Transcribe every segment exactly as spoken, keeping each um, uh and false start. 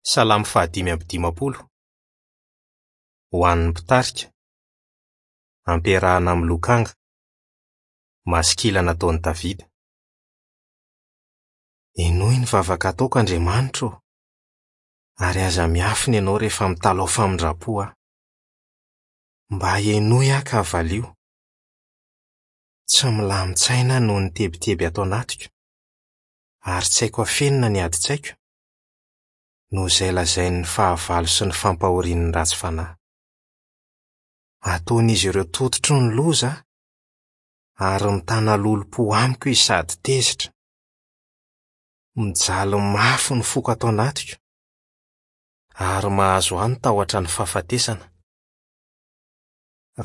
Salamo fahadimy amby dimampolo. Ho an'ny mpitarika. Ampiarahana amin'ny lokanga. Masikila nataon'i Davida. Henoy ny vavaka ataoko, Andriamanitra ô, ary aza miafina ianao rehefa mitalaho famindram-po aho. Mba henoy aho ka valio. Tsy milamin-tsaina aho noho ny tebiteby ato anatiko, ary tsy haiko afenina ny adin-tsaiko, noho izay lazain'ny fahavalo sy ny fampahorian'ny ratsy fanahy. Ataon'izy ireo tototry ny loza aho, ary mitana lolompo amiko izy sady tezitra. Mijaly mafy ny foko ato anatiko, ary mahazo ahy ny tahotra ny fahafatesana.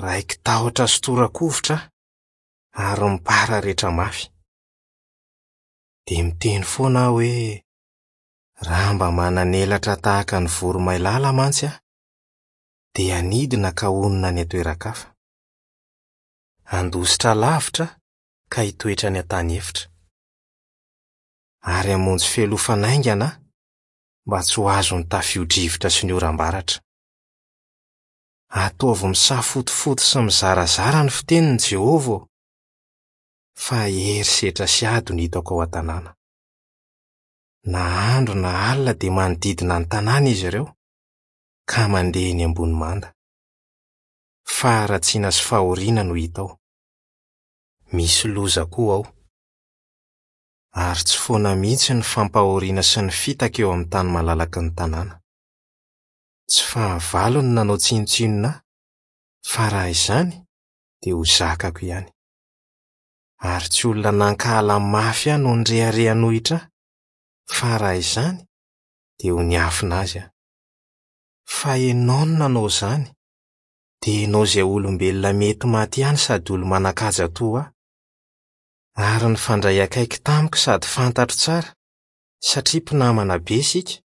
Raiki-tahotra sy tora-kovitra aho, ary mipararetra mafy. Dia miteny foana aho hoe: raha mba manan'elatra tahaka ny voromailala mantsy aho, dia hanidina ka honina any an-toeran-kafa. Handositra lavitra aho ka hitoetra any an-tany efitra. Ary hamonjy fialofana haingana aho mba tsy ho azon'ny tafio-drivotra sy ny oram-baratra. Ataovy misafotofoto sy mizarazara ny fiteniny, Jehovah ô, fa herisetra sy ady no hitako ao an-tanàna. Na andro na alina dia manodidina ny tanàna izy ireo, ka mandeha eny ambony manda. Faharatsiana sy fahoriana no hita ao. Misy loza koa ao. Ary tsy foana mihitsy ny fampahoriana sy ny fitaka eo amin'ny tany malalaky ny tanàna. Tsy fahavalo no nanao tsinontsinona ahy, fa raha izany dia ho zakako ihany. Ary tsy olona nankahala mafy ahy no nirehareha hanohitra ahy, fa raha izany dia ho niafina azy aho. Fa ianao no nanao izany, dia ianao izay olombelona mety maty ihany sady olo-manan-kaja toa ahy. Ary nifandray akaiky tamiko sady fantatro tsara, satria mpinamana be isika,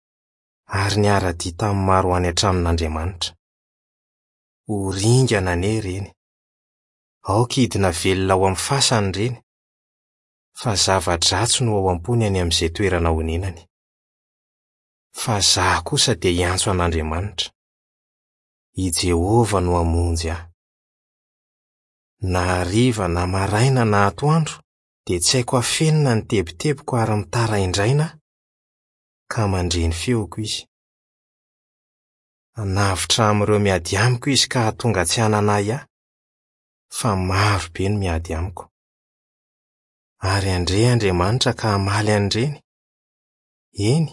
ary niara-dia tamin'ny maro ho any an-tranon'Andriamanitra. Ho ringana anie ireny. Aoka hidina velona ao amin'ny fasany ireny, fa zava-dratsy no ao am-pony any amin'izay toerana honenany. Fa izaho kosa dia hiantso an'Andriamanitra. I Jehovah no hamonjy ahy. Na hariva na maraina na atoandro dia tsy haiko afenina ny tebitebiko ary mitaraindraina aho, ka mandre ny feoko izy. Hanavotra amin'ireo miady amiko izy ka hahatonga tsy hanana ahy ahy, fa maro be no miady amiko. Ary handre Andriamanitra ka hamaly an'ireny. Eny,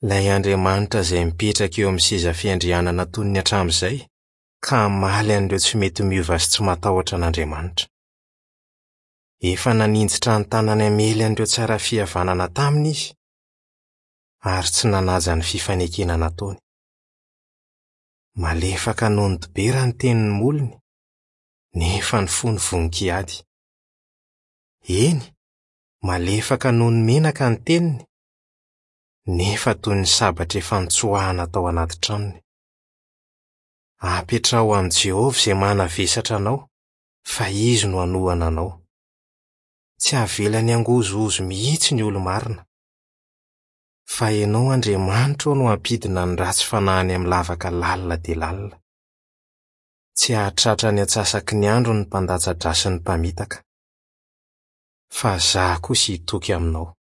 ilay Andriamanitra izay mipetraka eo amin'ny seza fiandrianana toy ny hatramin'izay, ka hamaly an'ireo tsy mety miova sy tsy matahotra an'Andriamanitra. Efa naninjitra ny tanany hamely an'ireo tsara fihavanana taminy izy, ary tsy nanaja ny fifanekena nataony. Malefaka noho ny dibera ny tenin'ny molony, nefa ny fony vonon-kiady. Eny, malefaka noho ny menaka ny teniny, nefa toy ny sabatra efa nitsoahana tao anaty tranony. Apetraho amin'i Jehovah izay manavesatra anao, fa izy no hanohana anao. Tsy avelany hangozohozo mihitsy ny olo-marina. Fa ianao, Andriamanitra ô, no hampidina ny ratsy fanahy any amin'ny lavaka lalina dia lalina. Tsy hahatratra ny antsasaky ny andro ny mpandatsa-dra sy ny mpamitaka. Fa izaho kosa hitoky aminao.